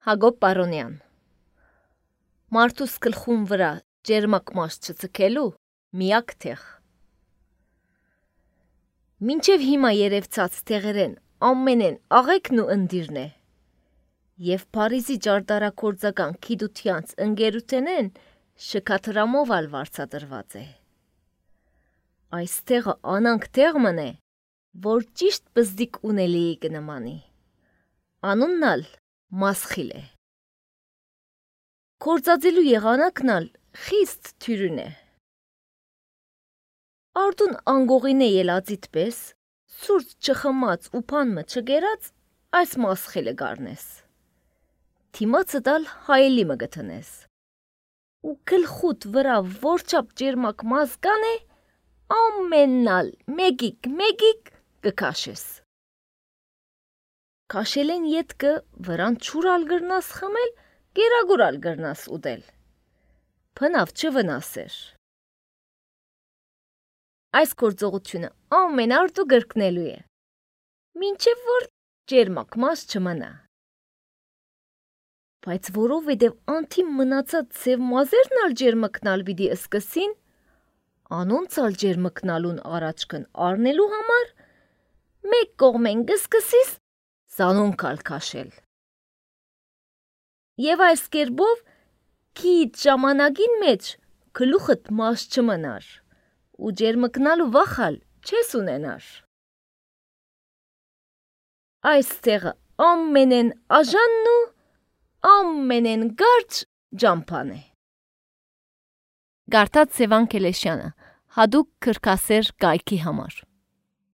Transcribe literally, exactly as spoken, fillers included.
Հակոբ Պարոնյան Մարդուս գլխուն վրա ջերմակ մաշ չձգելու միակ տեղ։ Մինչև հիմա երևցած տեղերեն ամենեն աղեքն ու ընդիրն է, և Փարիզի ճարտարագործական գիտությանց ընկերութենեն շքաթրամով ալ վարձատրված է։ Այս տեղը անանք տեղ մնե, որ ճիշտ բզդիկ ունելիի կնմանի, անունն ալ Մասխիլ է։ Գործածելու եղանակն ալ խիստ թյուրին է։ Արդուն անգողին է ելածիտ պես, սուրճ չխմած ու պանմը չգերած, այս Մասխիլը գարնես։ Թիմացը դալ հայելի մը գտնես։ Ու գլխուտ վրա որչապ ջերմակ մազգան է, ամենալ մեգիկ մեգիկ կքաշես։ Քաշելեն ետքը վրան չուր ալ գրնաս խմել, գերագուր ալ գրնաս ուդել։ Փնավ չվնասեր։ Այս գործողությունը ամեն արդու գրկնելու է, մինչև որ ջերմակ մազ չմնա։ Բայց որովհետև անթիմ մնացած ձև մազերն ալ ջերմկնալ պիտի սկսին, անոնց ալ ջերմկնալուն առաջքն առնելու համար, մեկ կողմեն կսկսիս զանոնք ալ քաշել։ Եվ այս կերպով քիչ ժամանակին մեջ գլուխդ մազ չմնար ու ջերմկնալու վախ ալ չես ունենար։ Այս տեղը ամենեն աժանն ու ամենեն գարջ ջամփան է։ Գարտած Սևան Քելեշյանը, հադուկ քրքասեր կայքի համար։